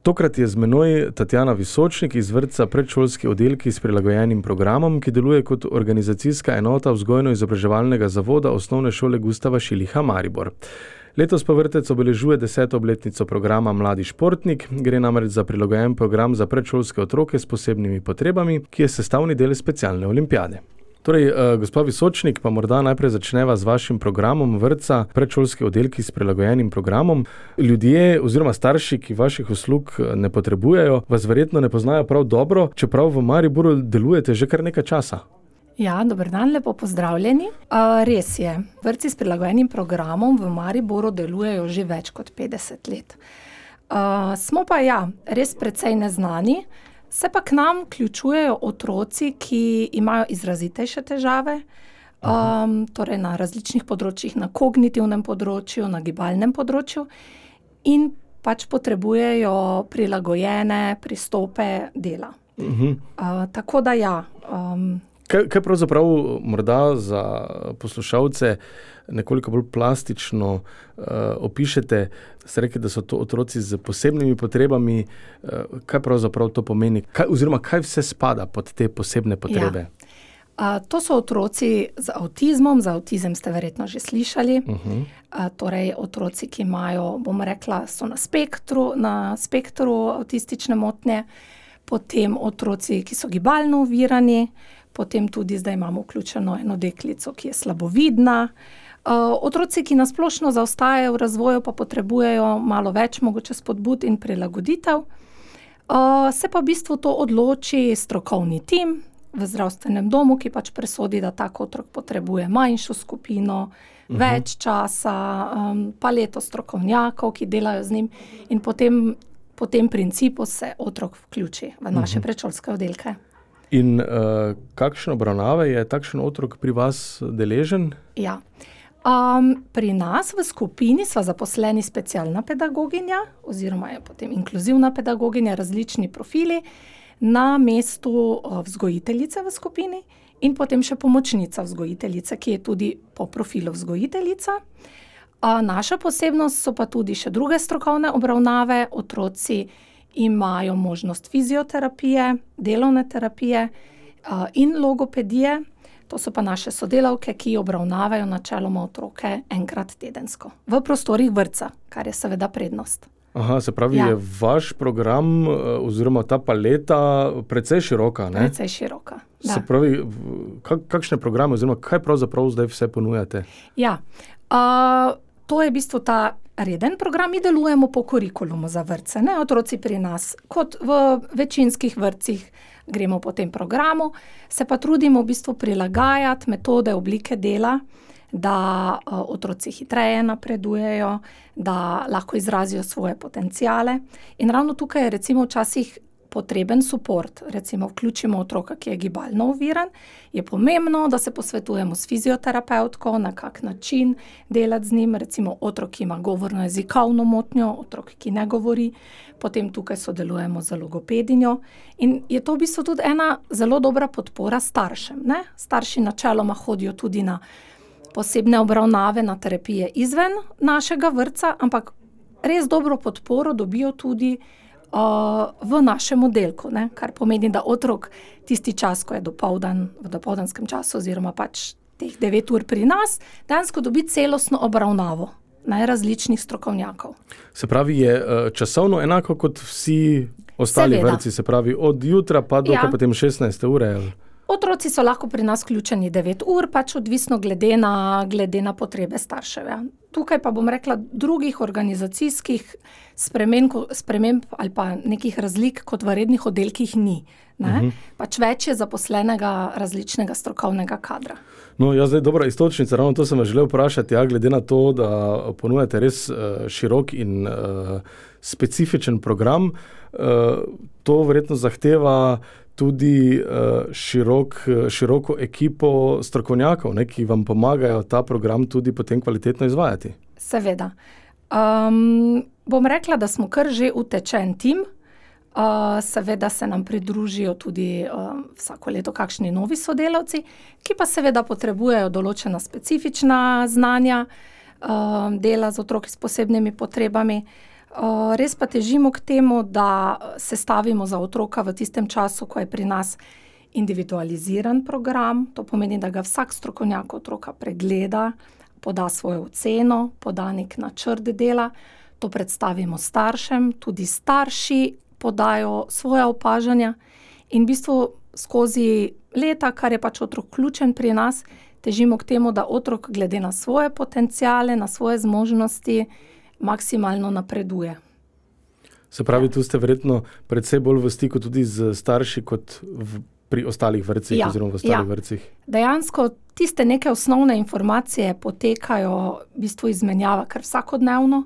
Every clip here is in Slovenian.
Tokrat je z menoj Tatjana Visočnik iz vrtca Predšolski oddelki s prilagojenim programom, ki deluje kot organizacijska enota vzgojno-izobraževalnega zavoda Osnovne šole Gustava Šiliha Maribor. Letos pa vrtec obeležuje 10. obletnico programa Mladi športnik. Gre namreč za prilagojen program za predšolske otroke s posebnimi potrebami, ki je sestavni del specialne olimpijade. Torej, gospa Visočnik, pa morda najprej začneva z vašim programom vrtca Predšolski oddelki s prilagojenim programom. Ljudje oziroma starši, ki vaših uslug ne potrebujejo, vas verjetno ne poznajo prav dobro, čeprav v Mariboru delujete že kar nekaj časa. Ja, dober dan, lepo pozdravljeni. Res je, vrtci s prilagojenim programom v Mariboru delujejo že več kot 50 let. Smo pa res precej neznani, se pa k nam vključujejo otroci, ki imajo izrazitejše težave, torej na različnih področjih, na kognitivnem področju, na gibalnem področju in pač potrebujejo prilagojene pristope dela. Tako da Kaj pravzaprav morda za poslušalce nekoliko bolj plastično opišete? Ste rekli, da so to otroci z posebnimi potrebami. Kaj pravzaprav to pomeni? Kaj vse spada pod te posebne potrebe? To so otroci z avtizmom. Za avtizem ste verjetno že slišali. Torej otroci, ki imajo, bom rekla, so na spektru avtistične motnje. Potem otroci, ki so gibalno ovirani. Potem tudi zdaj imamo vključeno eno deklico, ki je slabovidna. Otroci, ki nasplošno zaostajajo v razvoju, pa potrebujejo malo več mogoče spodbud in prilagoditev. Se pa v bistvu to odloči strokovni tim v zdravstvenem domu, ki pač presodi, da tak otrok potrebuje manjšo skupino, več časa, paleto strokovnjakov, ki delajo z njim, in po tem principu se otrok vključi v naše predšolske oddelke. In kakšne obravnave je takšen otrok pri vas deležen? Ja. Pri nas v skupini sva zaposleni specialna pedagoginja oziroma je potem inkluzivna pedagoginja, različni profili, na mestu vzgojiteljice v skupini in potem še pomočnica vzgojiteljice, ki je tudi po profilu vzgojiteljica. Naša posebnost so pa tudi še druge strokovne obravnave. Otroci imajo možnost fizioterapije, delovne terapije in logopedije. To so pa naše sodelavke, ki obravnavajo načeloma otroke enkrat tedensko v prostorih vrtca, kar je seveda prednost. Se pravi, je vaš program oziroma ta paleta precej široka, ne? Precej široka, da. Se pravi, kakšne programe oziroma kaj pravzaprav zdaj vse ponujate? To je v bistvu ta reden program. Mi delujemo po kurikulumu za vrtce, ne? Otroci pri nas, kot v večinskih vrtcih, gremo po tem programu, se pa trudimo v bistvu prilagajati metode, oblike dela, da otroci hitreje napredujejo, da lahko izrazijo svoje potenciale. In ravno tukaj je recimo včasih potreben suport. Recimo vključimo otroka, ki je gibalno oviran, je pomembno, da se posvetujemo s fizioterapevtko, na kak način delati z njim. Recimo otrok, ki ima govorno-jezikovno motnjo, otrok, ki ne govori, potem tukaj sodelujemo z logopedinjo. In je to v bistvu tudi ena zelo dobra podpora staršem, ne? Starši načeloma hodijo tudi na posebne obravnave, na terapije izven našega vrtca, ampak res dobro podporo dobijo tudi v našem oddelku, ne? Kar pomeni, da otrok tisti čas, ko je dopoldan, v dopoldanskem času oziroma pač teh 9 ur pri nas, dejansko dobi celostno obravnavo najrazličnih strokovnjakov. Se pravi, je časovno enako kot vsi ostali vrtci, se pravi od jutra pa do potem 16. ure? Otroci so lahko pri nas vključeni 9 ur, pač odvisno glede na potrebe staršev. Tukaj pa bom rekla, drugih organizacijskih sprememb ali pa nekih razlik kot v rednih oddelkih ni. Pač več je zaposlenega različnega strokovnega kadra. No, zdaj dobra iztočnica, ravno to sem vas želel vprašati, glede na to, da ponujate res širok in specifičen program, to verjetno zahteva tudi široko ekipo strokovnjakov, ne, ki vam pomagajo ta program tudi potem kvalitetno izvajati. Seveda. Bom rekla, da smo kar že utečen tim. Seveda se nam pridružijo tudi vsako leto kakšni novi sodelavci, ki pa seveda potrebujejo določena specifična znanja, dela z otroki s posebnimi potrebami. res pa težimo k temu, da sestavimo za otroka v tistem času, ko je pri nas individualiziran program. To pomeni, da ga vsak strokovnjak otroka pregleda, poda svojo oceno, poda nek načrt dela. To predstavimo staršem, tudi starši podajo svoja opažanja in v bistvu skozi leta, kar je pač otrok ključen pri nas, težimo k temu, da otrok glede na svoje potenciale, na svoje zmožnosti maksimalno napreduje. Se pravi, tu ste verjetno predvsej bolj v stiku tudi z starši kot pri ostalih vrtcih oziroma v ostalih vrtcih. Dejansko tiste neke osnovne informacije potekajo v bistvu izmenjava kar vsakodnevno.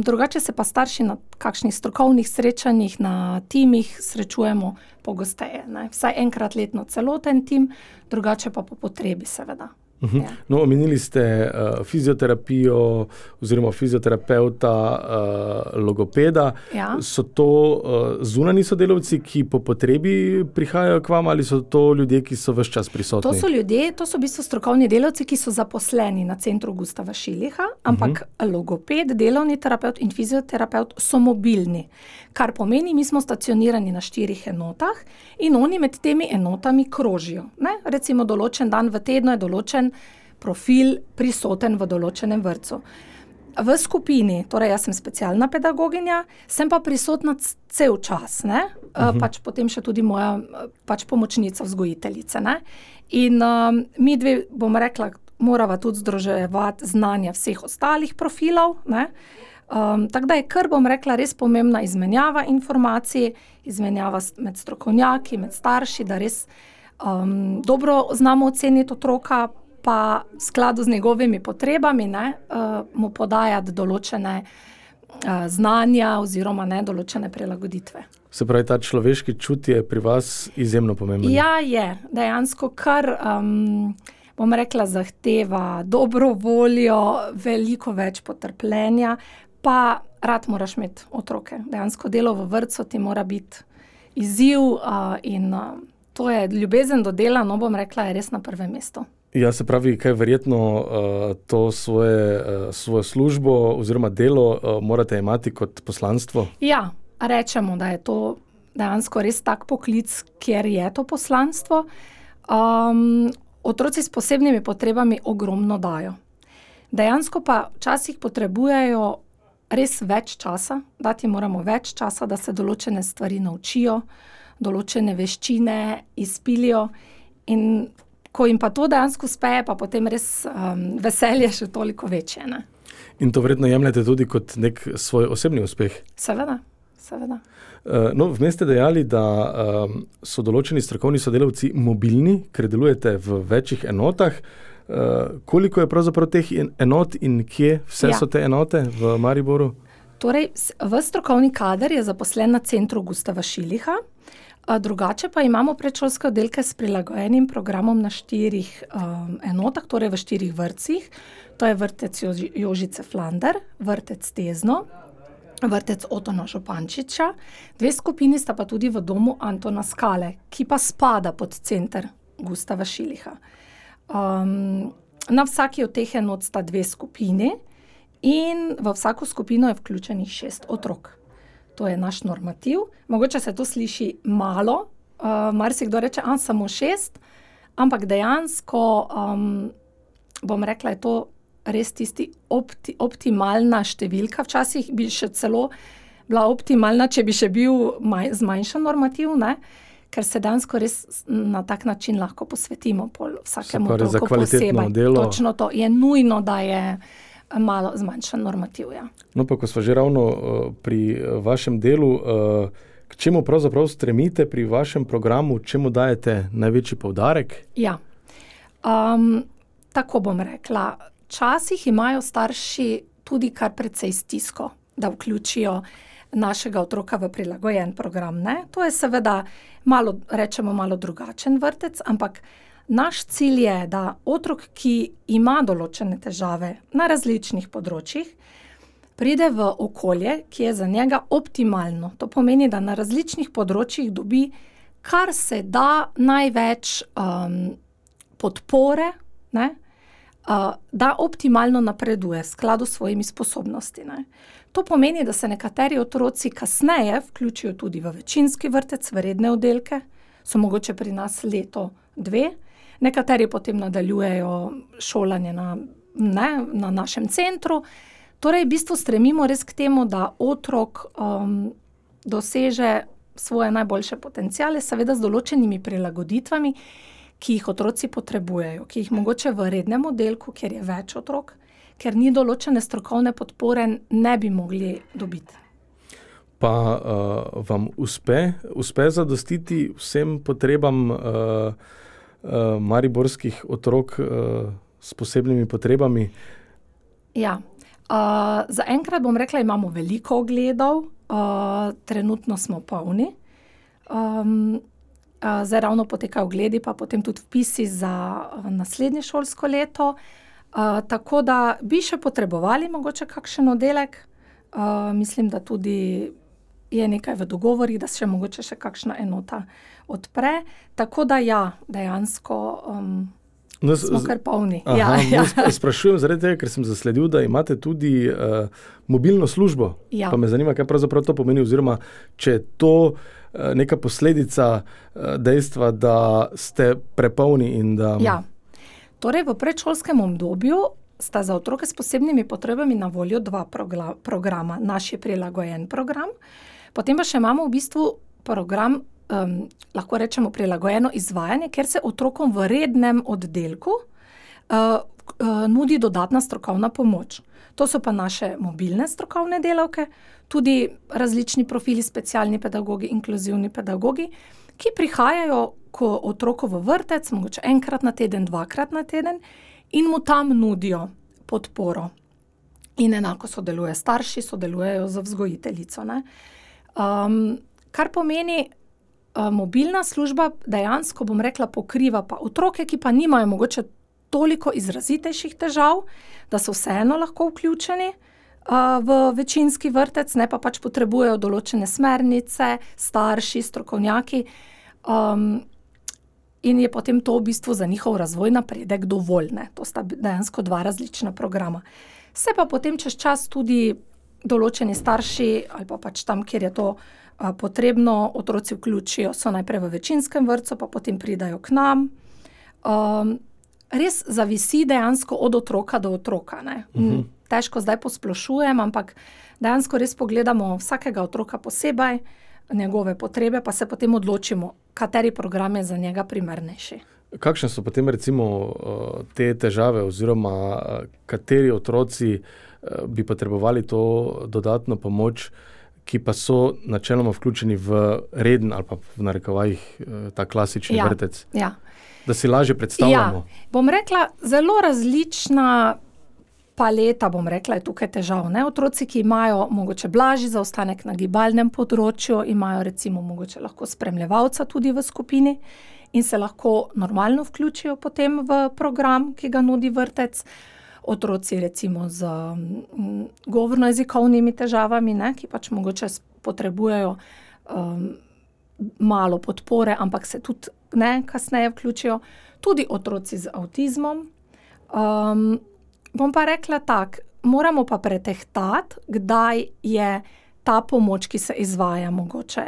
Drugače se pa starši na kakšnih strokovnih srečanjih, na timih srečujemo pogosteje, ne. Vsaj enkrat letno celoten tim, drugače pa po potrebi seveda. Ja. No, omenili ste fizioterapijo oziroma fizioterapevta, logopeda. Ja. So to zunanji sodelavci, ki po potrebi prihajajo k vam, ali so to ljudje, ki so ves čas prisotni? To so v bistvu strokovni delavci, ki so zaposleni na centru Gustava Šiliha, ampak logoped, delovni terapevt in fizioterapevt so mobilni. Kar pomeni, mi smo stacionirani na 4 enotah in oni med temi enotami krožijo, ne. Recimo določen dan v tednu je določen profil prisoten v določenem vrtcu. V skupini, torej jaz sem specialna pedagoginja, sem pa prisotna cel čas, ne. Pač potem še tudi moja pač pomočnica vzgojiteljice, ne. In mi dve, bom rekla, morava tudi združevati znanja vseh ostalih profilov, ne. Tako da je kar, bom rekla, res pomembna izmenjava informacij, izmenjava med strokovnjaki, med starši, da res dobro znamo oceniti otroka, pa v skladu z njegovimi potrebami, ne, mu podajati določene znanja oziroma ne, določene prilagoditve. Se pravi, ta človeški čut je pri vas izjemno pomemben. Ja, je. Dejansko kar, bom rekla, zahteva dobro voljo, veliko več potrpljenja, pa rad moraš imeti otroke. Dejansko delo v vrtcu ti mora biti izziv in to je ljubezen do dela, no, bom rekla, je res na prvem mestu. Ja, se pravi, kaj verjetno to svojo službo oziroma delo morate imati kot poslanstvo? Ja, rečemo, da je to dejansko res tak poklic, kjer je to poslanstvo. Otroci s posebnimi potrebami ogromno dajo. Dejansko pa včasih potrebujejo res več časa, dati moramo več časa, da se določene stvari naučijo, določene veščine izpilijo in ko jim pa to dejansko uspe, pa potem res veselje še toliko večje, ne. In to verjetno jemljete tudi kot nek svoj osebni uspeh? Seveda. No, vmes ste dejali, da so določeni strokovni sodelavci mobilni, ker delujete v večjih enotah. Koliko je pravzaprav teh enot in kje vse so te enote v Mariboru? Torej, strokovni kader je zaposlen na centru Gustava Šiliha, drugače pa imamo predšolske oddelke s prilagojenim programom na 4 enotah, torej v 4 vrtcih. To je vrtec Jožice Flander, vrtec Tezno, vrtec Otona Župančiča, 2 skupini sta pa tudi v domu Antona Skale, ki pa spada pod center Gustava Šiliha. Na vsaki od teh enot sta 2 skupini in v vsako skupino je vključenih 6 otrok. To je naš normativ. Mogoče se to sliši malo, marsikdo reče, samo 6, ampak dejansko, bom rekla, je to res tisti optimalna številka. Včasih bi še celo bila optimalna, če bi še bil zmanjšan normativ, ne? Ker se dejansko res na tak način lahko posvetimo vsakemu otroku posebej. Delo. Točno to. Je nujno, da je malo zmanjšan normativ, ja. No, pa ko smo že ravno pri vašem delu, k čemu pravzaprav stremite pri vašem programu, čemu dajete največji poudarek? Ja, tako bom rekla. Včasih imajo starši tudi kar precej stisko, da vključijo našega otroka v prilagojen program, ne. To je seveda malo drugačen vrtec, ampak naš cilj je, da otrok, ki ima določene težave na različnih področjih, pride v okolje, ki je za njega optimalno. To pomeni, da na različnih področjih dobi kar se da največ podpore, ne, da optimalno napreduje v skladu s svojimi sposobnosti, ne. To pomeni, da se nekateri otroci kasneje vključijo tudi v večinski vrtec, v redne oddelke, so mogoče pri nas leto, 2, nekateri potem nadaljujejo šolanje na našem centru. Torej, v bistvu stremimo res k temu, da otrok doseže svoje najboljše potenciale, seveda z določenimi prilagoditvami, ki jih otroci potrebujejo, ki jih mogoče v rednem oddelku, kjer je več otrok, ker ni določene strokovne podpore, ne bi mogli dobiti. Pa vam uspe zadostiti vsem potrebam mariborskih otrok s posebnimi potrebami? Ja. Zaenkrat bom rekla, imamo veliko ogledov, trenutno smo polni. Zdaj ravno potekajo ogledi, pa potem tudi vpisi za naslednje šolsko leto. Tako da bi še potrebovali mogoče kakšen oddelek. Mislim, da tudi je nekaj v dogovorih, da se mogoče še kakšna enota odpre. Tako da ja, dejansko smo kar polni. Sprašujem zaradi tega, ker sem zasledil, da imate tudi mobilno službo. Ja. Pa me zanima, kaj pravzaprav to pomeni, oziroma če je to neka posledica dejstva, da ste prepolni in da... Ja. Torej, v predšolskem obdobju sta za otroke s posebnimi potrebami na voljo 2 programa. Naš je prilagojen program, potem pa še imamo v bistvu program, lahko rečemo prilagojeno izvajanje, ker se otrokom v rednem oddelku nudi dodatna strokovna pomoč. To so pa naše mobilne strokovne delavke, tudi različni profili, specialni pedagogi, inkluzivni pedagogi, ki prihajajo k otroku v vrtec, mogoče enkrat na teden, 2-krat na teden in mu tam nudijo podporo. In enako sodelujejo starši, sodelujejo z vzgojiteljico, ne. Kar pomeni, mobilna služba dejansko, bom rekla, pokriva pa otroke, ki pa nimajo mogoče toliko izrazitejših težav, da so vseeno lahko vključeni v večinski vrtec, ne, pa pač potrebujejo določene smernice, starši, strokovnjaki, in je potem to v bistvu za njihov razvoj, napredek dovolj, ne. To sta dejansko 2 različna programa. Se pa potem čez čas tudi določeni starši ali pa pač tam, kjer je to potrebno, otroci vključijo, so najprej v večinskem vrtcu, pa potem pridajo k nam. Res zavisi dejansko od otroka do otroka, ne. Težko zdaj posplošujem, ampak dejansko res pogledamo vsakega otroka posebej, njegove potrebe, pa se potem odločimo, kateri program je za njega primernejši. Kakšne so potem recimo te težave oziroma kateri otroci bi potrebovali to dodatno pomoč, ki pa so načeloma vključeni v reden ali pa v narekovajih ta klasični vrtec? Ja. Da si lažje predstavljamo. Ja. Bom rekla, zelo različna paleta, bom rekla, je tukaj težav, ne. Otroci, ki imajo mogoče blažji zaostanek na gibalnem področju, imajo recimo mogoče lahko spremljevalca tudi v skupini in se lahko normalno vključijo potem v program, ki ga nudi vrtec. Otroci recimo z govorno-jezikovnimi težavami, ne, ki pač mogoče potrebujejo malo podpore, ampak se tudi kasneje vključijo. Tudi otroci z avtizmom. Bom pa rekla tako, moramo pa pretehtati, kdaj je ta pomoč, ki se izvaja mogoče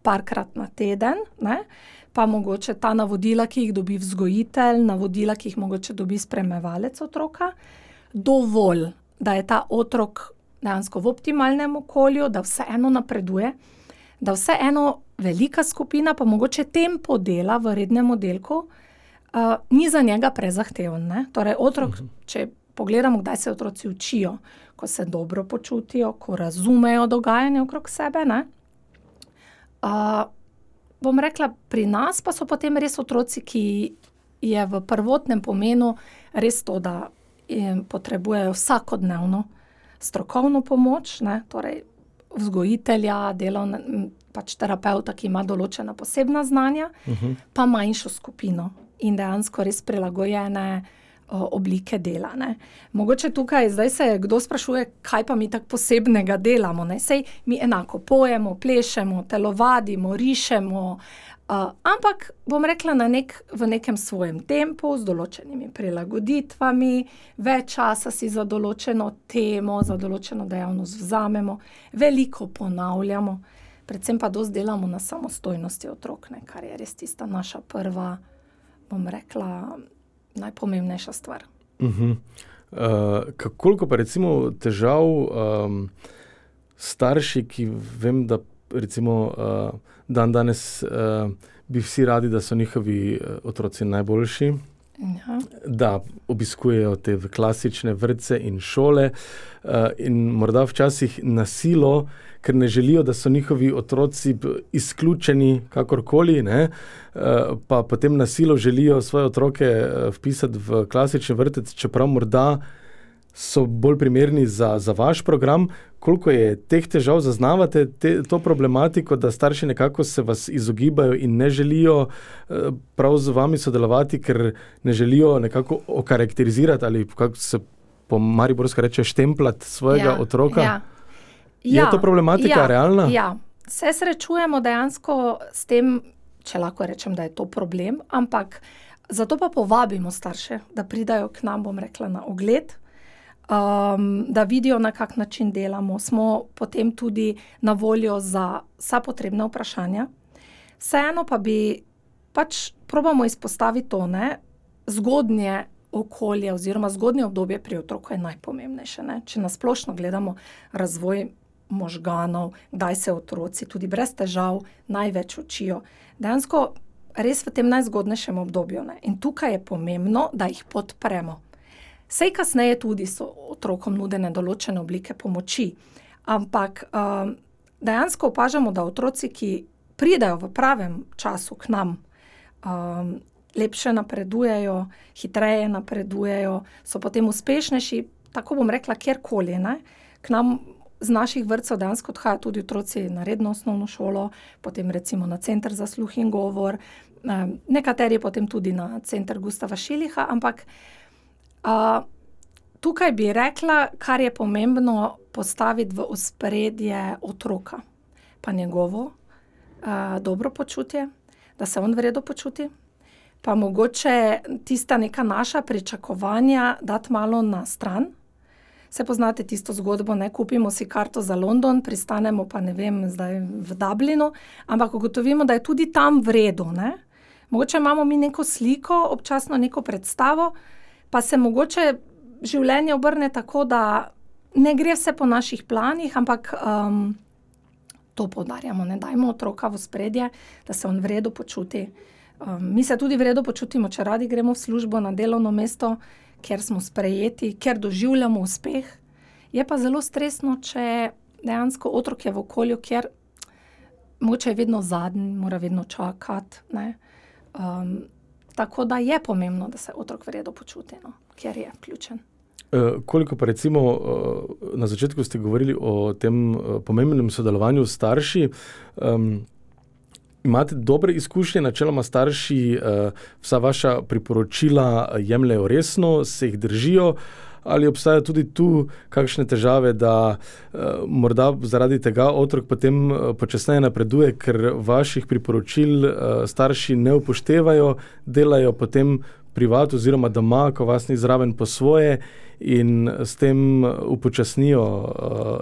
parkrat na teden, ne, pa mogoče ta navodila, ki jih dobi vzgojitelj, navodila, ki jih mogoče dobi spremljevalec otroka, dovolj, da je ta otrok dejansko v optimalnem okolju, da vseeno napreduje, da vseeno velika skupina, pa mogoče tempo dela v rednem oddelku, ni za njega prezahteven, ne. Torej otrok, če pogledamo, kdaj se otroci učijo, ko se dobro počutijo, ko razumejo dogajanje okrog sebe, ne. Bom rekla, pri nas pa so potem res otroci, ki je v prvotnem pomenu res to, da potrebujejo vsakodnevno strokovno pomoč, ne, torej vzgojitelja, pač terapevta, ki ima določena posebna znanja, pa manjšo skupino in dejansko res prilagojene oblike dela, ne. Mogoče tukaj, zdaj se kdo sprašuje, kaj pa mi tako posebnega delamo, ne. Sej mi enako pojemo, plešemo, telovadimo, rišemo, ampak bom rekla v nekem svojem tempu, z določenimi prilagoditvami, več časa si za določeno temo, za določeno dejavnost vzamemo, veliko ponavljamo, predvsem pa dosti delamo na samostojnosti otrok, ne, kar je res tista naša prva, bom rekla, najpomembnejša stvar. Koliko pa recimo težav starši, ki vem, da recimo danes bi vsi radi, da so njihovi otroci najboljši, da obiskujejo te klasične vrtce in šole in morda včasih na silo, ker ne želijo, da so njihovi otroci izključeni kakorkoli, ne, pa potem na silo želijo svoje otroke vpisati v klasični vrtec, čeprav morda so bolj primerni za vaš program. Koliko je teh težav, zaznavate to problematiko, da starši nekako se vas izogibajo in ne želijo prav z vami sodelovati, ker ne želijo nekako okarakterizirati ali kako se po mariborsko reče štemplati svojega otroka? Je to problematika realna? Ja, se srečujemo dejansko s tem, če lahko rečem, da je to problem, ampak zato pa povabimo starše, da pridajo k nam, bom rekla, na ogled, da vidijo, na kak način delamo. Smo potem tudi na voljo za vsa potrebna vprašanja. Vseeno pa bi probamo izpostaviti to, ne, zgodnje okolje oziroma zgodnje obdobje pri otroku je najpomembnejše, ne. Če na splošno gledamo razvoj možganov, kdaj se otroci tudi brez težav največ učijo. Dejansko res v tem najzgodnejšem obdobju, ne. In tukaj je pomembno, da jih podpremo. Sej kasneje tudi so otrokom nudene določene oblike pomoči, ampak dejansko opažamo, da otroci, ki pridejo v pravem času k nam, lepše napredujejo, hitreje napredujejo, so potem uspešnejši, tako bom rekla, kjerkoli, ne. K nam z naših vrtcev dejansko odhajajo tudi otroci na redno osnovno šolo, potem recimo na center za sluh in govor, nekateri potem tudi na center Gustava Šilicha, ampak tukaj bi rekla, kar je pomembno postaviti v ospredje otroka, pa njegovo dobro počutje, da se on v redu počuti, pa mogoče tista neka naša pričakovanja dati malo na stran. Se poznate tisto zgodbo, ne, kupimo si karto za London, pristanemo pa, ne vem, zdaj v Dublinu, ampak ugotovimo, da je tudi tam v redu, ne. Mogoče imamo mi neko sliko, občasno neko predstavo, pa se mogoče življenje obrne tako, da ne gre vse po naših planih, ampak to poudarjamo, ne, dajmo otroka v ospredje, da se on v redu počuti. Mi se tudi v redu počutimo, če radi gremo v službo na delovno mesto, ker smo sprejeti, ker doživljamo uspeh. Je pa zelo stresno, če dejansko otrok je v okolju, kjer mogoče je vedno zadnji, mora vedno čakati, ne. Tako da je pomembno, da se otrok v redu počuti, no, ker je vključen. Koliko pa recimo, na začetku ste govorili o tem pomembnem sodelovanju s starši, imate dobre izkušnje, načeloma starši vsa vaša priporočila jemljejo resno, se jih držijo, ali obstajajo tudi tu kakšne težave, da morda zaradi tega otrok potem počasneje napreduje, ker vaših priporočil starši ne upoštevajo, delajo potem privat oziroma doma, ko vas ni zraven, po svoje in s tem upočasnijo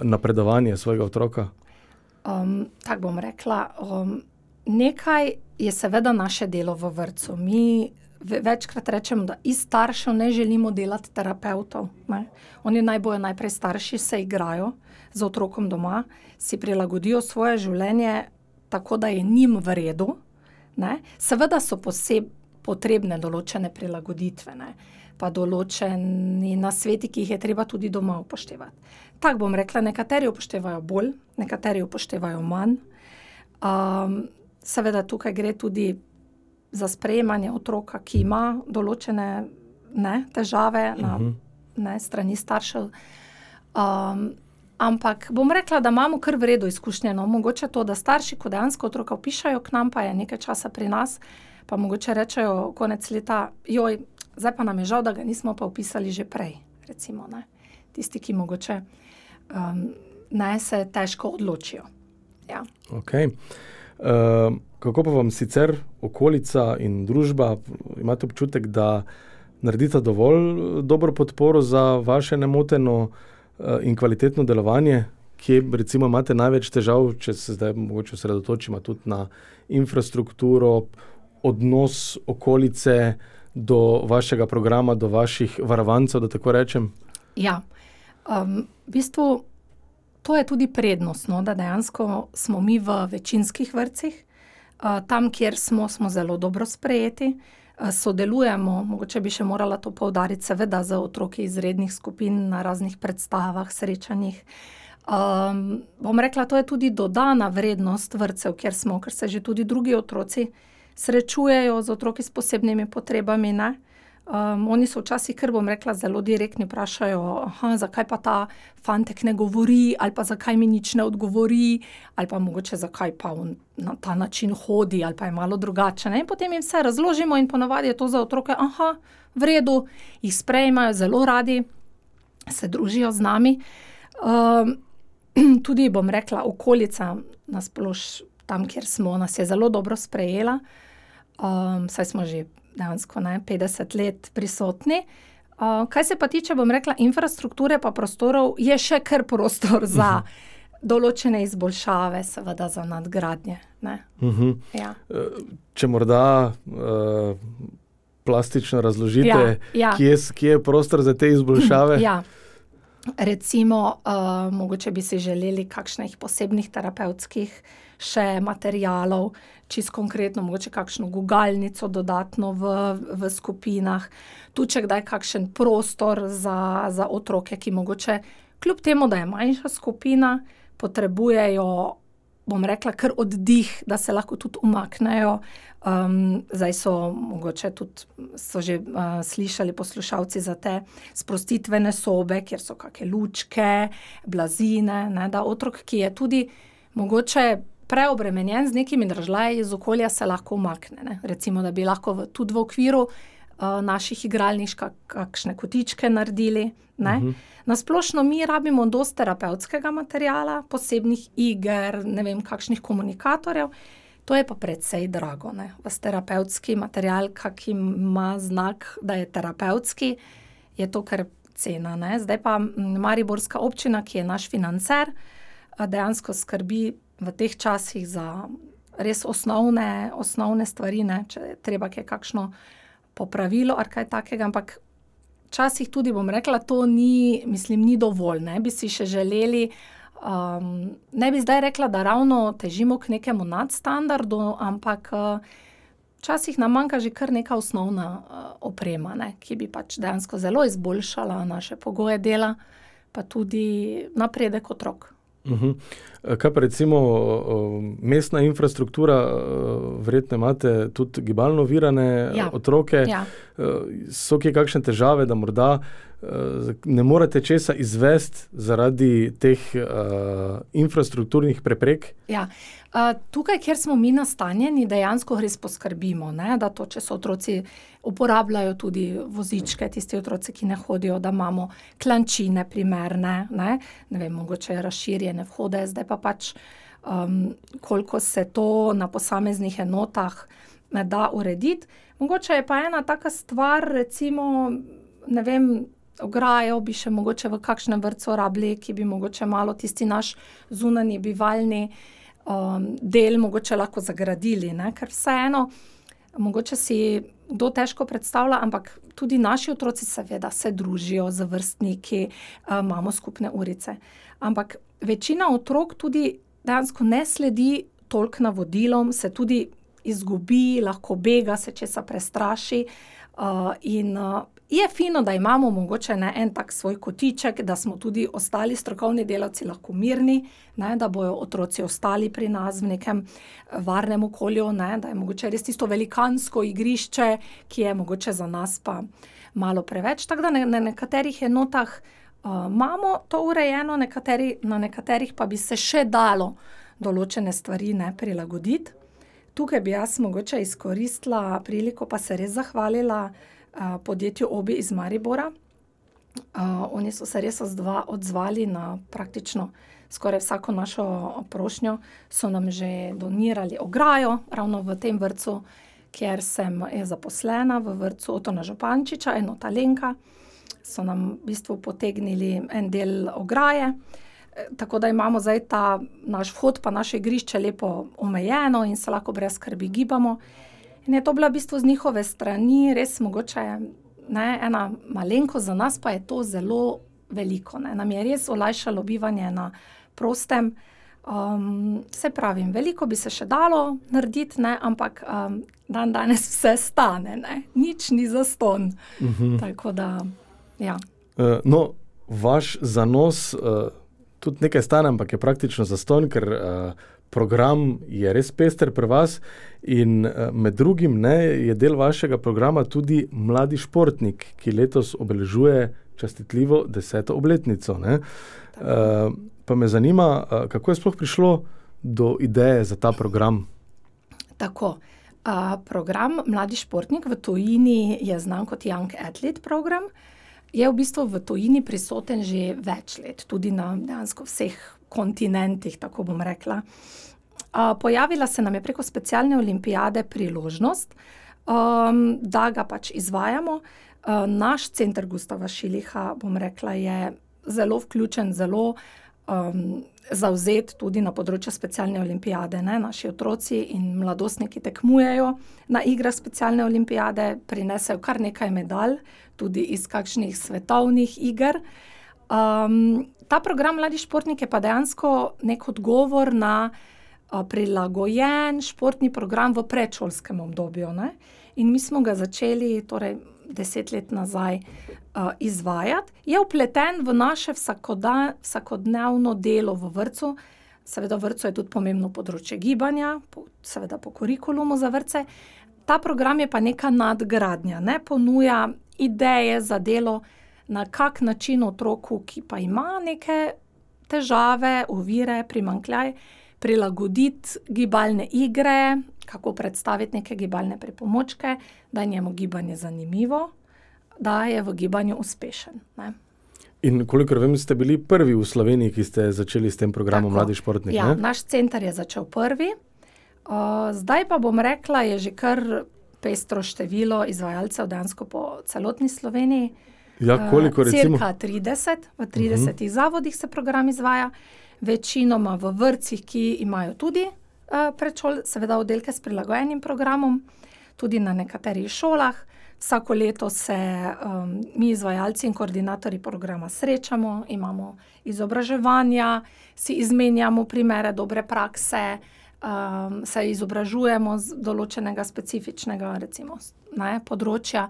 napredovanje svojega otroka? Tako bom rekla, nekaj je seveda naše delo v vrtcu. Mi večkrat rečemo, da iz staršev ne želimo delati terapevtov, ne. Oni naj bojo najprej starši, se igrajo z otrokom doma, si prilagodijo svoje življenje tako, da je njim v redu, ne. Seveda so potrebne določene prilagoditve, ne, pa določeni nasveti, ki jih je treba tudi doma upoštevati. Tako bom rekla, nekateri upoštevajo bolj, nekateri upoštevajo manj. Seveda tukaj gre tudi za sprejemanje otroka, ki ima določene težave na strani staršev. Ampak bom rekla, da imamo kar v redu izkušnje, no, mogoče to, da starši, ko dejansko otroka vpišajo k nam, pa je nekaj časa pri nas, pa mogoče rečejo konec leta, zdaj pa nam je žal, da ga nismo pa vpisali že prej, recimo, ne. Tisti, ki mogoče se težko odločijo. Ja. Okay. Kako pa vam sicer okolica in družba, imate občutek, da naredite dovolj dobro podporo za vaše nemoteno in kvalitetno delovanje? Kje recimo imate največ težav, če se zdaj mogoče osredotočimo tudi na infrastrukturo, odnos okolice do vašega programa, do vaših varovancev, da tako rečem? Ja, v bistvu to je tudi prednost, no, da dejansko smo mi v večinskih vrtcih, tam, kjer smo zelo dobro sprejeti, sodelujemo, mogoče bi še morala to poudariti, seveda za otroki iz rednih skupin na raznih predstavah, srečanjih. Bom rekla, to je tudi dodana vrednost vrtcev, ker se že tudi drugi otroci srečujejo z otroki s posebnimi potrebami, ne. Oni so včasih, kar bom rekla, zelo direktni, vprašajo, zakaj pa ta fantek ne govori, ali pa zakaj mi nič ne odgovori, ali pa mogoče zakaj pa on na ta način hodi, ali pa je malo drugače, ne. In potem jim vse razložimo in ponavadi je to za otroke, v redu, jih sprejmejo, zelo radi se družijo z nami. Tudi, bom rekla, okolica nasploh tam, kjer smo, nas je zelo dobro sprejela, saj smo že dejansko 50 let prisotni. Kaj se pa tiče, bom rekla, infrastrukture pa prostorov, je še kar prostor za določene izboljšave, seveda za nadgradnje, ne. Ja. Če morda plastično razložite, kje je prostor za te izboljšave? Ja. Recimo, mogoče bi si želeli kakšnih posebnih terapevtskih še materialov, čisto konkretno, mogoče kakšno gugalnico dodatno v skupinah, tudi če kdaj kakšen prostor za otroke, ki mogoče kljub temu, da je manjša skupina, potrebujejo, bom rekla, kar oddih, da se lahko tudi umaknejo. Zdaj so že slišali poslušalci za te sprostitvene sobe, kjer so kake lučke, blazine, ne, da otrok, ki je tudi mogoče preobremenjen z nekimi dražljaji iz okolja, se lahko umakne, ne. Recimo, da bi lahko tudi v okviru naših igralnic kakšne kotičke naredili, ne. Na splošno mi rabimo dosti terapevtskega materiala, posebnih iger, ne vem, kakšnih komunikatorjev, to je pa precej drago, ne. Ves terapevtski material, kak ima znak, da je terapevtski, je to kar cena, ne. Zdaj pa mariborska občina, ki je naš financer, dejansko skrbi v teh časih za res osnovne stvari, ne, če je treba kakšno popravilo ali kaj takega, ampak včasih tudi, bom rekla, to ni dovolj, ne, bi si še želeli, ne bi zdaj rekla, da ravno težimo k nekemu nadstandardu, ampak včasih nam manjka že kar neka osnovna oprema, ne, ki bi pač dejansko zelo izboljšala naše pogoje dela, pa tudi napredek otrok. Kaj pa recimo mestna infrastruktura, verjetno imate tudi gibalno ovirane otroke, so kje kakšne težave, da morda ne morete česa izvesti zaradi teh infrastrukturnih preprek? Ja, tukaj, kjer smo mi nastanjeni, dejansko res poskrbimo, ne, da to, če so otroci uporabljajo tudi vozičke, tisti otroci, ki ne hodijo, da imamo klančine primerne, ne vem, mogoče razširjene vhode, zdaj pa pač koliko se to na posameznih enotah da urediti. Mogoče je pa ena taka stvar, recimo, ne vem, ograjo bi še mogoče v kakšnem vrtcu rabili, ki bi mogoče malo tisti naš zunanji bivalni del mogoče lahko zagradili, ne, ker vseeno, mogoče si kdo težko predstavlja, ampak tudi naši otroci seveda se družijo z vrstniki, imamo skupne urice. Ampak večina otrok tudi dejansko ne sledi toliko navodilom, se tudi izgubi, lahko bega, se česa prestraši, in je fino, da imamo mogoče en tak svoj kotiček, da smo tudi ostali strokovni delavci lahko mirni, ne, da bojo otroci ostali pri nas v nekem varnem okolju, ne, da je mogoče res tisto velikansko igrišče, ki je mogoče za nas pa malo preveč. Tako da na nekaterih enotah imamo to urejeno, na nekaterih pa bi se še dalo določene stvari prilagoditi. Tukaj bi jaz mogoče izkoristila priliko pa se res zahvalila podjetju Obi iz Maribora. Oni so se res odzvali na praktično skoraj vsako našo prošnjo, so nam že donirali ograjo ravno v tem vrtcu, kjer je zaposlena v vrtcu Otona Župančiča, enota Lenka, so nam v bistvu potegnili en del ograje, tako da imamo zdaj ta naš vhod pa naše igrišče lepo omejeno in se lahko brez skrbi gibamo. In je to bila v bistvu z njihove strani res mogoče ena malenkost, za nas pa je to zelo veliko. Nam je res olajšalo bivanje na prostem. Se pravim, veliko bi se še dalo narediti, ampak danes vse stane, nič ni zastonj. Tako da, ja. No, vaš zanos tudi nekaj stane, ampak je praktično zastonj, ker program je res pester pri vas in med drugim je del vašega programa tudi mladi športnik, ki letos obeležuje častitljivo 10. obletnico. Pa me zanima, kako je sploh prišlo do ideje za ta program? Tako, program Mladi športnik v tujini je znan kot Young Athlete program. Je v bistvu v tujini prisoten že več let, tudi na dejansko vseh kontinentih, tako bom rekla. Pojavila se nam je preko specialne olimpijade priložnost, da ga pač izvajamo. Naš center Gustava Šiliha, bom rekla, je zelo vključen, zelo zavzet tudi na področju specialne olimpijade. Naši otroci in mladostniki tekmujejo na igrah specialne olimpijade, prinesejo kar nekaj medalj, tudi iz kakšnih svetovnih iger. Ta program Mladi športnik je pa dejansko nek odgovor na prilagojen športni program v predšolskem obdobju. In mi smo ga začeli 10 let nazaj izvajati. Je vpleten v naše vsakodnevno delo v vrtcu. Seveda v vrtcu je tudi pomembno področje gibanja, seveda po kurikulumu za vrtce. Ta program je pa neka nadgradnja, ponuja ideje za delo, na kak način otroku, ki pa ima neke težave, ovire, primanjkljaj, prilagoditi gibalne igre, kako predstaviti neke gibalne pripomočke, da je njemu gibanje zanimivo, da je v gibanju uspešen. In kolikor vem, ste bili prvi v Sloveniji, ki ste začeli s tem programom Mladi športnik, Ja, naš center je začel prvi. Zdaj pa bom rekla, je že kar pestro število izvajalcev dejansko po celotni Sloveniji. Ja, koliko recimo? Cirka 30, v 30 zavodih se program izvaja, večinoma v vrtcih, ki imajo tudi seveda oddelke s prilagojenim programom, tudi na nekaterih šolah. Vsako leto se mi izvajalci in koordinatorji programa srečamo, imamo izobraževanja, si izmenjamo primere dobre prakse, se izobražujemo z določenega specifičnega področja,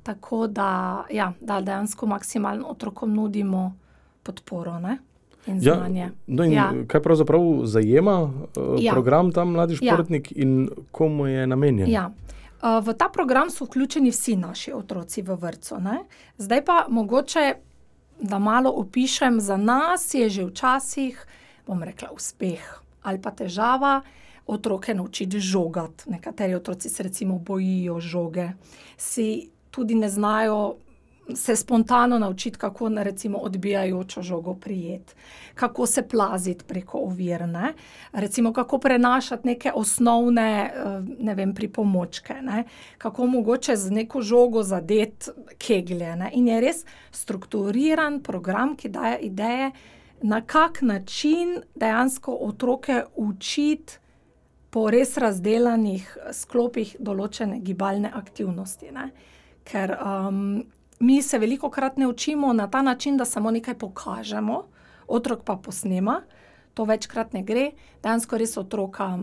tako da, da dejansko maksimalno otrokom nudimo podporo, in znanje. No in kaj pravzaprav zajema program ta Mladi športnik in komu je namenjen? V ta program so vključeni vsi naši otroci v vrtcu. Zdaj pa mogoče, da malo opišem, za nas je že včasih, bom rekla, uspeh ali pa težava otroke naučiti žogati. Nekateri otroci se recimo bojijo žoge, si tudi ne znajo se spontano naučiti, kako recimo odbijajočo žogo prijeti, kako se plaziti preko ovir, recimo kako prenašati neke osnovne, pripomočke, kako mogoče z neko žogo zadeti keglje, In je res strukturiran program, ki daje ideje, na kak način dejansko otroke učiti po res razdelanih sklopih določene gibalne aktivnosti, Ker mi se velikokrat ne učimo na ta način, da samo nekaj pokažemo, otrok pa posnema, to večkrat ne gre. Dejansko res otroka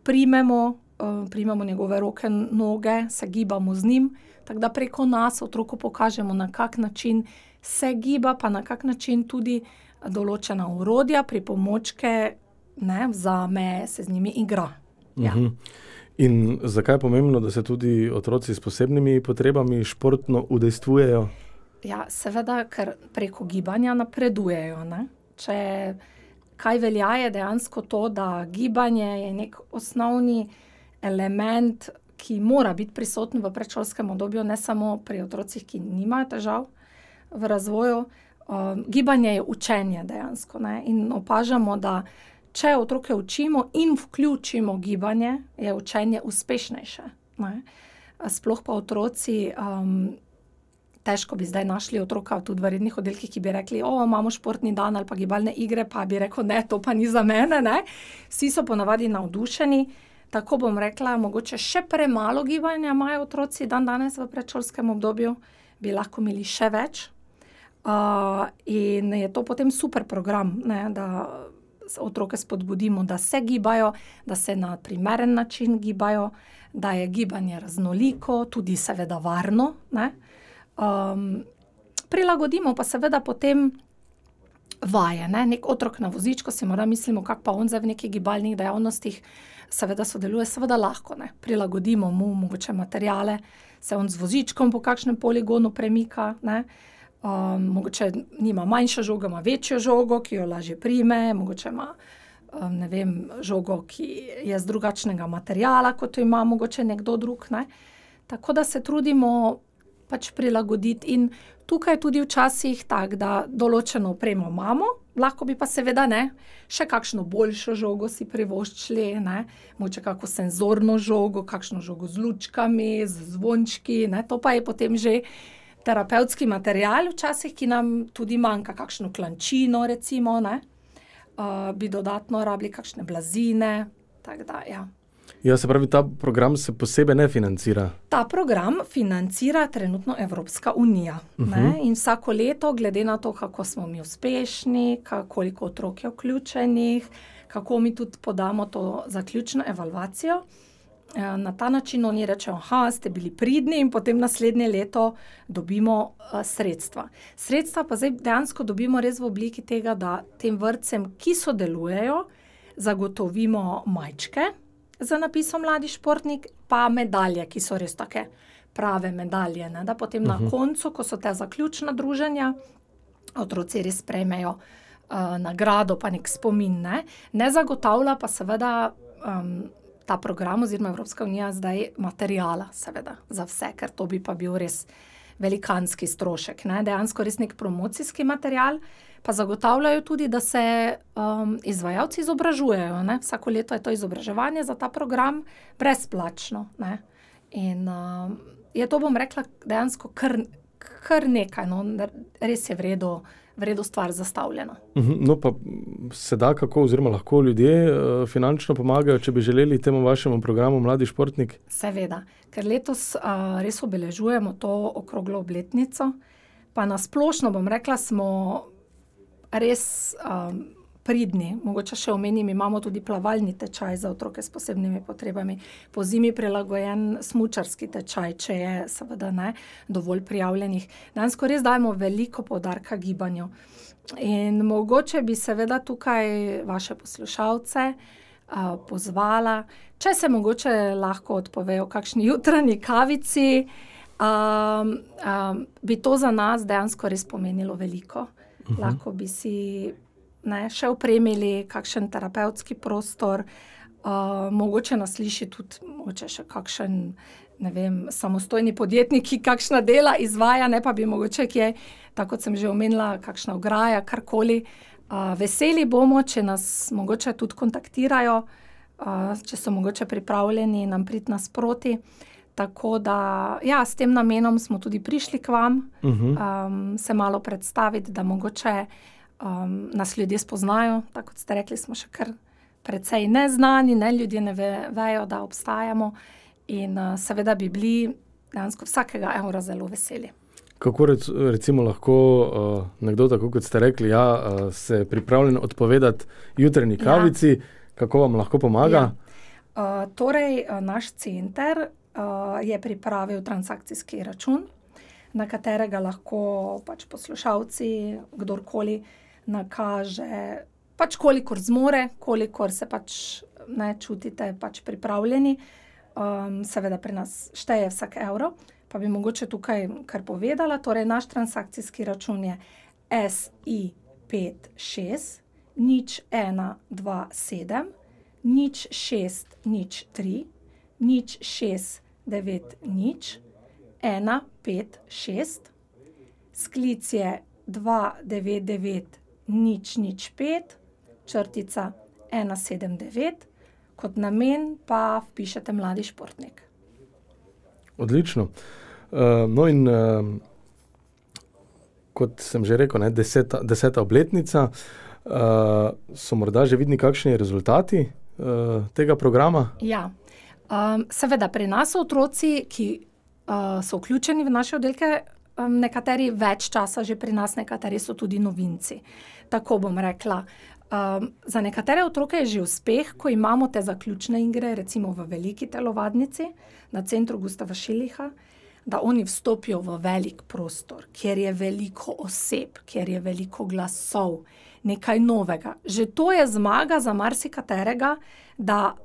primemo njegove roke, noge, se gibamo z njim, tako da preko nas otroku pokažemo, na kak način se giba, pa na kak način tudi določena orodja, pripomočke vzame, se z njimi igra. In zakaj je pomembno, da se tudi otroci s posebnimi potrebami športno udejstvujejo? Ja, seveda, ker preko gibanja napredujejo, Če kaj velja, je dejansko to, da gibanje je nek osnovni element, ki mora biti prisoten v predšolskem obdobju, ne samo pri otrocih, ki nimajo težav v razvoju. Gibanje je učenje dejansko, ne, in opažamo, da če otroke učimo in vključimo gibanje, je učenje uspešnejše, ne. Sploh pa otroci, težko bi zdaj našli otroka tudi v rednih oddelkih, ki bi rekli, imamo športni dan ali pa gibalne igre, pa bi rekel, ne, to pa ni za mene, ne. Vsi so ponavadi navdušeni, tako bom rekla, mogoče še premalo gibanja imajo otroci dandanes v predšolskem obdobju, bi lahko imeli še več. In je to potem super program, ne, da otroke spodbudimo, da se gibajo, da se na primeren način gibajo, da je gibanje raznoliko, tudi seveda varno, ne. Prilagodimo pa seveda potem vaje, ne. Neki otrok na vozičku, si morda mislimo, kako pa on zdaj v nekih gibalnih dejavnostih seveda sodeluje, seveda lahko, ne. Prilagodimo mu mogoče materiale, se on z vozičkom po kakšnem poligonu premika, ne. Mogoče nima manjšo žogo, ima večjo žogo, ki jo lažje prime, mogoče ima, ne vem, žogo, ki je z drugačnega materiala, kot jo ima mogoče nekdo drug, ne. Tako da se trudimo pač prilagoditi in tukaj tudi včasih tako, da določeno opremo imamo, lahko bi pa seveda, ne, še kakšno boljšo žogo si privoščili, ne, mogoče kako senzorno žogo, kakšno žogo z lučkami, z zvončki, ne, to pa je potem že terapevtski material včasih, ki nam tudi manjka, kakšno klančino recimo, ne, bi dodatno rabili kakšne blazine, tako da, ja. Ja, se pravi, ta program se posebej ne financira? Ta program financira trenutno Evropska unija, ne, in vsako leto, glede na to, kako smo mi uspešni, koliko otrok je vključenih, kako mi tudi podamo to zaključno evalvacijo, na ta način oni rečejo, ste bili pridni in potem naslednje leto dobimo sredstva. Sredstva pa zdaj dejansko dobimo res v obliki tega, da tem vrtcem, ki sodelujejo, zagotovimo majčke z napisom Mladi športnik, pa medalje, ki so res take prave medalje, ne, da potem na koncu, ko so te zaključna druženja, otroci res prejmejo nagrado pa nek spomin, ne. Ne zagotavlja pa seveda ta program oziroma Evropska unija zdaj materiala, seveda, za vse, ker to bi pa bil res velikanski strošek, ne, dejansko res neki promocijski material, pa zagotavljajo tudi, da se izvajalci izobražujejo, ne, vsako leto je to izobraževanje za ta program brezplačno, ne, in je to, bom rekla, dejansko kar nekaj, no, res je v redu stvar zastavljena. No, pa se da kako oziroma lahko ljudje finančno pomagajo, če bi želeli temu vašemu programu Mladi športnik? Seveda, ker letos res obeležujemo to okroglo obletnico, pa na splošno, bom rekla, smo res pridni. Mogoče še omenim, imamo tudi plavalni tečaj za otroke s posebnimi potrebami, po zimi prilagojen smučarski tečaj, če je seveda, ne, dovolj prijavljenih. Dejansko res dajemo veliko poudarka gibanju. In mogoče bi seveda tukaj vaše poslušalce pozvala, če se mogoče lahko odpovejo kakšni jutranji kavici, bi to za nas dejansko res pomenilo veliko. Lahko bi si, ne, še opremili kakšen terapevtski prostor, mogoče nas sliši tudi mogoče še kakšen, ne vem, samostojni podjetnik, ki kakšna dela izvaja, ne, pa bi mogoče kje, tako kot sem že omenila, kakšna ograja, karkoli. Veseli bomo, če nas mogoče tudi kontaktirajo, če so mogoče pripravljeni nam priti nasproti. Tako da, ja, s tem namenom smo tudi prišli k vam, se malo predstaviti, da mogoče nas ljudje spoznajo, tako kot ste rekli, smo še kar precej neznani, ne, ljudje ne vejo, da obstajamo in seveda bi bili dejansko vsakega evra zelo veseli. Kako recimo lahko nekdo, tako kot ste rekli, se pripravljen odpovedati jutranji kavici, kako vam lahko pomaga? Torej, naš center je pripravil transakcijski račun, na katerega lahko pač poslušalci, kdorkoli nakaže, pač kolikor zmore, kolikor se pač, ne, čutite pač pripravljeni. Seveda pri nas šteje vsak evro, pa bi mogoče tukaj kar povedala, torej naš transakcijski račun je SI56 0127 0603 06 290 156, sklic je 299 005 črtica 179, kot namen pa vpišete mladi športnik. Odlično. No in kot sem že rekel, 10. obletnica, so morda že vidni kakšni rezultati tega programa? Ja, seveda pri nas so otroci, ki so vključeni v naše oddelke, nekateri več časa že pri nas, nekateri so tudi novinci. Tako bom rekla. Za nekatere otroke je že uspeh, ko imamo te zaključne igre, recimo v veliki telovadnici na centru Gustava Šilicha, da oni vstopijo v velik prostor, kjer je veliko oseb, kjer je veliko glasov, nekaj novega. Že to je zmaga za marsikaterega, da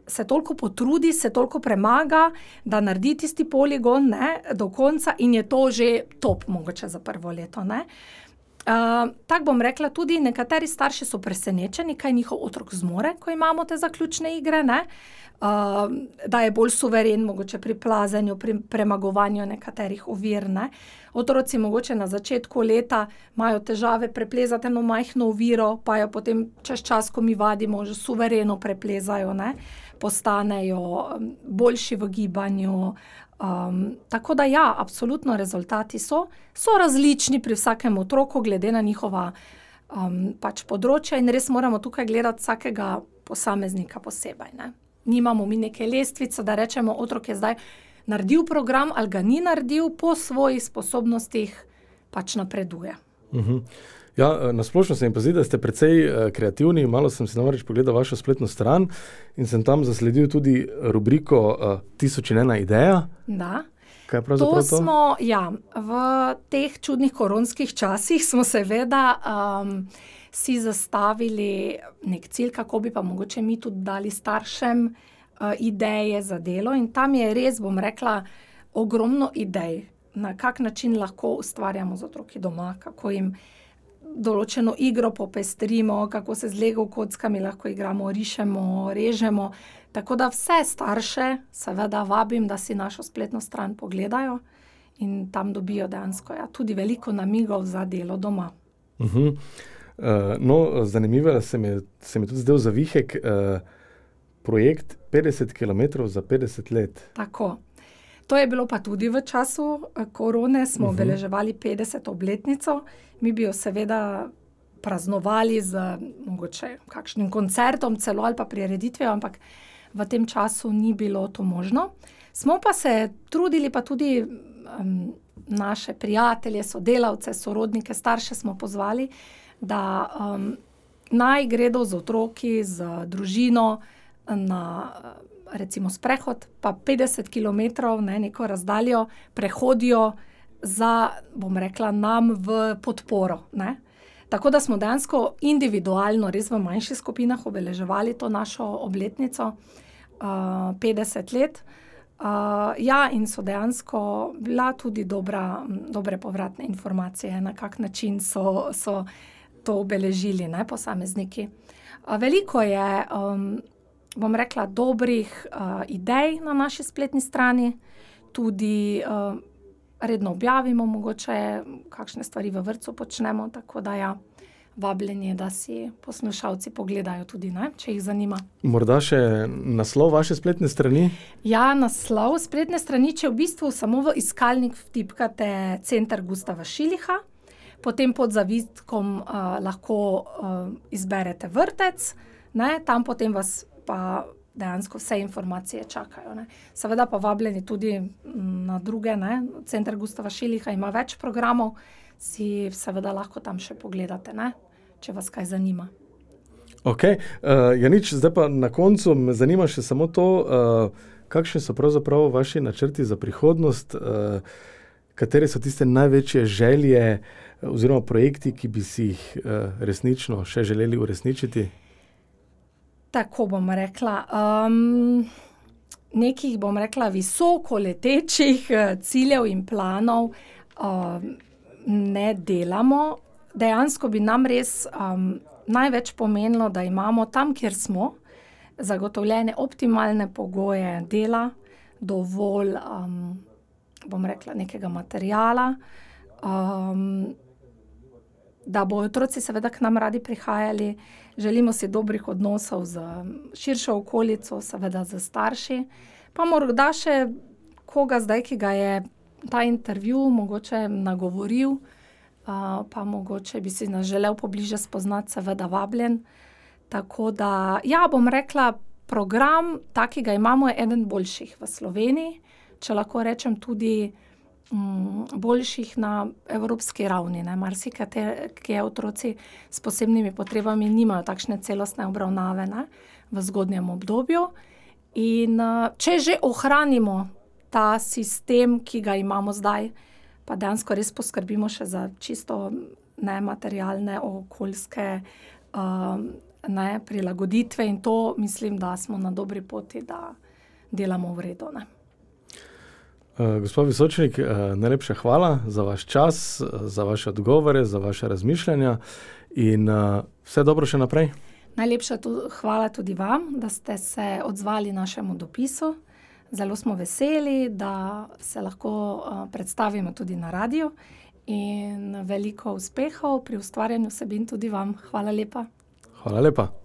se toliko potrudi, se toliko premaga, da naredi tisti poligon, ne, do konca in je to že top, mogoče za prvo leto, ne. Tako bom rekla, tudi nekateri starši so presenečeni, kaj njihov otrok zmore, ko imamo te zaključne igre, ne. Da je bolj suveren mogoče pri plazenju, pri premagovanju nekaterih ovir, ne. Otroci mogoče na začetku leta imajo težave preplezati eno majhno oviro, pa jo potem čez čas, ko mi vadimo, že suvereno preplezajo, ne. Postanejo boljši v gibanju. Tako da ja, absolutno rezultati so različni pri vsakem otroku, glede na njihova pač področja in res moramo tukaj gledati vsakega posameznika posebej, ne. Nimamo mi neke lestvice, da rečemo, otrok je zdaj naredil program ali ga ni naredil, po svojih sposobnostih pač napreduje. Ja, na splošno se mi pa zdi, da ste precej kreativni. Malo sem si namreč pogledal vašo spletno stran in sem tam zasledil tudi rubriko 1001 ideja. Da. Kaj je pravzaprav to? V teh čudnih koronskih časih smo seveda si zastavili nek cilj, kako bi pa mogoče mi tudi dali staršem ideje za delo in tam je res, bom rekla, ogromno idej, na kak način lahko ustvarjamo z otroki doma, kako jim določeno igro popestrimo, kako se z Lego kockami lahko igramo, rišemo, režemo. Tako da vse starše seveda vabim, da si našo spletno stran pogledajo in tam dobijo dejansko tudi veliko namigov za delo doma. No, zanimivo se mi tudi zdel zavihek projekt 50 kilometrov za 50 let. Tako. To je bilo pa tudi v času korone, smo obeleževali 50. obletnico. Mi bi jo seveda praznovali z mogoče kakšnim koncertom celo ali pa prireditvijo, ampak v tem času ni bilo to možno. Smo pa se trudili, pa tudi naše prijatelje, sodelavce, sorodnike, starše smo pozvali, da naj gredo z otroki, z družino na recimo sprehod, pa 50 kilometrov, ne, neko razdaljo prehodijo za, bom rekla, nam v podporo, ne. Tako da smo dejansko individualno, res v manjših skupinah obeleževali to našo obletnico 50 let. Ja, in so dejansko bila tudi dobre povratne informacije, na kak način so to obeležili, ne, posamezniki. Veliko je, bom rekla, dobrih idej na naši spletni strani, tudi redno objavimo mogoče kakšne stvari v vrtcu počnemo, tako da ja, vabljeni, da si poslušalci pogledajo tudi, ne, če jih zanima. Morda še naslov vaše spletne strani? Ja, naslov spletne strani, če v bistvu samo v iskalnik vtipkate Center Gustava Šilicha, potem pod zavitkom lahko izberete vrtec, ne, tam potem vas pa dejansko vse informacije čakajo, ne. Seveda pa vabljeni tudi na druge, ne, Center Gustava Šilicha ima več programov, si seveda lahko tam še pogledate, ne, če vas kaj zanima. Okej, ja nič, zdaj pa na koncu me zanima še samo to, kakšni so pravzaprav vaši načrti za prihodnost, katere so tiste največje želje oziroma projekti, ki bi si jih resnično še želeli uresničiti? Tako bom rekla, nekih, bom rekla, visoko letečih ciljev in planov ne delamo. Dejansko bi nam res največ pomenilo, da imamo tam, kjer smo, zagotovljene optimalne pogoje dela, dovolj, bom rekla, nekega materiala, da bodo otroci seveda k nam radi prihajali. Želimo si dobrih odnosov z širšo okolico, seveda s starši, pa morda še koga zdaj, ki ga je ta intervju mogoče nagovoril, pa mogoče bi si nas želel pobliže spoznati, seveda vabljen. Tako da, ja, bom rekla, program, tak, ki ga imamo, je eden boljših v Sloveniji, če lahko rečem tudi boljših na evropski ravni, ne. Marsikateri otroci s posebnimi potrebami nimajo takšne celostne obravnave, ne, v zgodnjem obdobju. In če že ohranimo ta sistem, ki ga imamo zdaj, pa dejansko res poskrbimo še za čisto nematerialne, okoljske prilagoditve in to, mislim, da smo na dobri poti, da delamo v redu, ne. Gospa Visočnik, najlepša hvala za vaš čas, za vaše odgovore, za vaše razmišljanja in vse dobro še naprej. Najlepša hvala tudi vam, da ste se odzvali našemu dopisu. Zelo smo veseli, da se lahko predstavimo tudi na radiu in veliko uspehov pri ustvarjanju vsebin tudi vam. Hvala lepa. Hvala lepa.